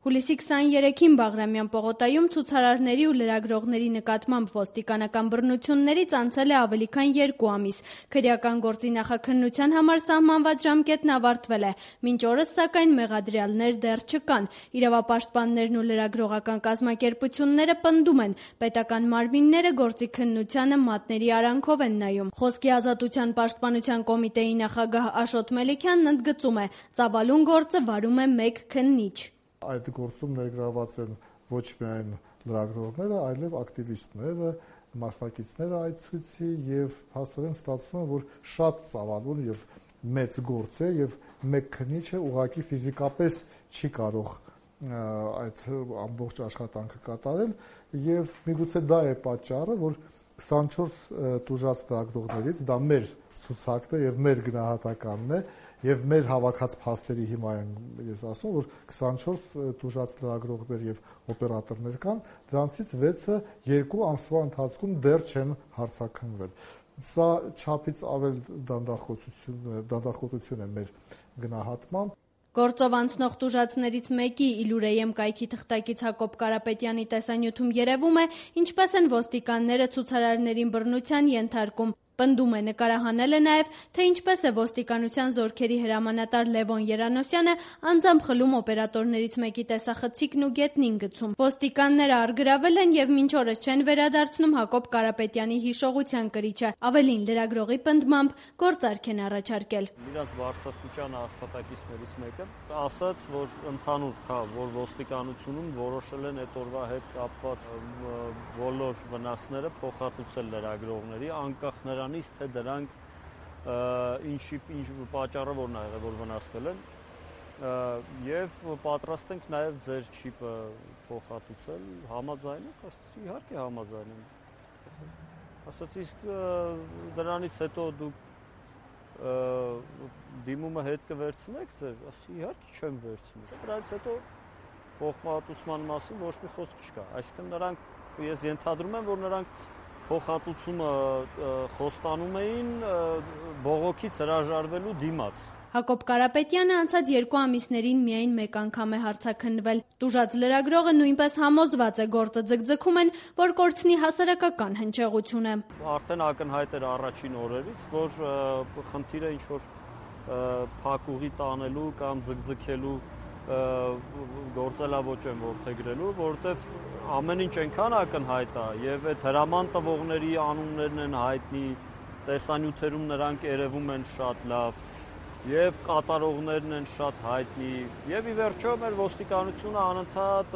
Հուլիսի 23-ին Բաղրամյան պողոտայում ցուցարարների ու լրագրողների նկատմամբ ոստիկանական բռնություններից անցել է ավելի քան 2 ամիս։ Քրեական գործի նախաքննության համար սահմանված ժամկետն ավարտվել է։ Մինչ օրս, սակայն, մեղադրյալներ դեռ չկան։ Իրավապաշտպաններն ու լրագրողական կազմակերպությունները պնդում են, պետական մարմինները գործի քննությանը մատների արանքով են նայում։ Խոսքի ազատության պաշտպանության կոմիտեի նախագահ Աշոտ Մելիքյանն ընդգծում է, ծավալուն գործը վարում է մեկ քննիչ։ Այդ գործում ներգրաված են ոչ միայն լրագրողները, այլև ակտիվիստները, մասնակիցները այդ ցույցի եւ հաստատեն ստացվում է, որ շատ ծավալուն եւ մեծ գործ է եւ մեկ քննիչը ուղղակի ֆիզիկապես չի կարող այդ ամբողջ աշխատանքը կատարել եւ միգուցե դա է պատճառը, որ 24 տուժած լրագրողներից դա մեր ցուցակն է եւ մեր գնահատականն է եւ մեր հավաքած փաստերի հիմա ես ասում որ 24 տուժած լրագրողներ եւ օպերատորներ կան, դրանցից 6-ը 2 ամսվա ընթացքում դեռ չեն հարցաքննվել։ Սա չափից ավել դանդաղեցություն է մեր գնահատմամբ։ Գործով անցնող տուժածներից մեկի Իլուրեյեմ կայքի թղթակից Հակոբ Կարապետյանի տեսանյութում երևում է, ինչպես են ոստիկանները ցուցարարներին բռնության ենթարկում։ Պնդում է, նկարահանել է նաև, թե ինչպես է ոստիկանության զորքերի հրամանատար Լևոն Երանոսյանը անձամբ խլում օպերատորներից մեկի տեսախցիկն ու գետնին գցում։ Ոստիկանները առգրավել են եւ մինչ օրս չեն վերադարձնում Հակոբ Կարապետյանի հիշողության կրիչը։ Ավելին, լրագրողի պնդմամբ գործարք են առաջարկել։ Իրանց բարձրաստիճան աշխատակիցներից մեկը ասաց, որ ընդհանուր կա, որ ոստիկանությունում որոշել են այդ օրվա հետ կապված բոլոր վնասները փոխհատուցել լրագրողների, անկախ նրանից, թե դրանք ինչ պատճառը որն ա եղել, որ վնասվել են, եւ պատրաստ ենք նաեւ ձեր չիպը փոխհատուցել, համաձայն եք, ասացի իհարկե համաձայն եմ։ Ասացի իսկ դրանից հետո դուք դիմումը հետ կվերցնեք ձեր, ասի իհարկե չեմ վերցնի։ Դրանից հետո փոխհատուցման մասին ոչ մի խոսք չկա։ Այսինքն նրանք, ես ենթադրում եմ, որ նրանք փոխհատուցումը խոստանում էին բողոքից հրաժարվելու դիմաց։ Հակոբ Կարապետյանը անցած 2 ամիսներին միայն մեկ անգամ է հարցաքննվել։ Տուժած լրագրողը նույնպես համոզված է, գործը ձգձգում են, որ կորցնի հասարակական հնչեղություն է։ Արդեն ակնհայտ էր առաջին օրերից, որ խնդիրը ինչ որ փակուղի տանելու կամ ձգձգելու գործելավոճ են որդեգրելու, որովհետև ամեն ինչ այնքան ակնհայտ է եւ այդ հրաման տվողների անուններն են հայտնի, տեսանյութերում նրանք երևում են շատ լավ եւ կատարողներն են շատ հայտնի եւ ի վերջո մեր ոստիկանությունը անընդհատ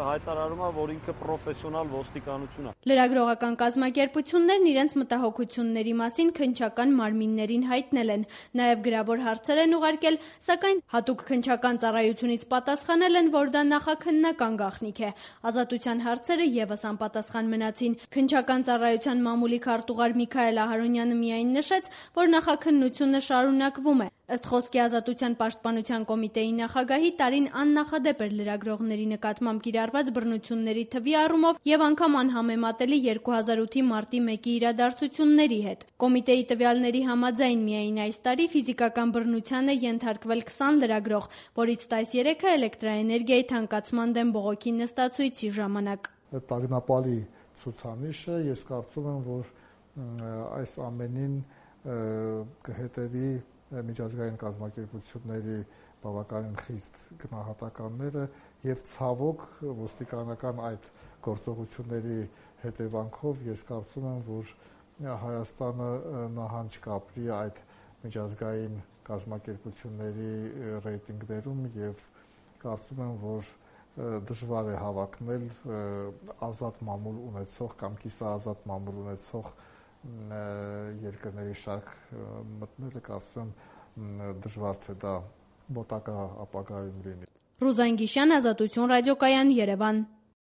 հայտարարում է, որ ինքը պրոֆեսիոնալ ոստիկանություն է։ Լրագրողական կազմակերպություններն իրենց մտահոգությունների մասին քննչական մարմիններին հայտնել են, նաեւ գրավոր հարցեր են ուղարկել, սակայն հատուկ քննչական ծառայությունից պատասխանել են, որ դա նախաքննական գաղտնիք է։ Ազատության հարցերը եւս անպատասխան մնացին։ Քննչական ծառայության մամուլի քարտուղար Միքայել Ահարոնյանը միայն նշեց, որ նախաքննությունը շարունակվում է։ Ըստ Խոսքի ազատության պաշտպանության կոմիտեի նախագահի, տարին աննախադեպ էր լրագրողների նկատմամբ կիրառված բռնությունների թվի առումով եւ անգամ անհամեմատելի 2008-ի մարտի 1-ի իրադարձությունների հետ։ Կոմիտեի տվյալների համաձայն միայն այս տարի ֆիզիկական բռնության է ենթարկվել 20 լրագրող, որից 13-ը էլեկտրաէներգիայի թանկացման դեմ բողոքի նստացույցի ժամանակ։ Տագնապալի ցուցանիշը, ես կարծում եմ, որ այս ամենին կհետևի միջազգային կազմակերպությունների բավականին խիստ գնահատականները եւ ցավոք ոստիկանական այդ գործողությունների հետևանքով ես կարծում եմ, որ Հայաստանը նահանջ կապրի այդ միջազգային կազմակերպությունների ռեյտինգներում եւ կարծում եմ, որ դժվար է հավակնել ազատ մամուլ ունեցող կամ կիսաազատ մամուլ ունեցող երկրների շարք մտնելը կարծում դժվար թե դա մոտակա ապագայում լինի։ Ռուզան Գիշյան, Ազատություն ռադիոկայան, Երևան։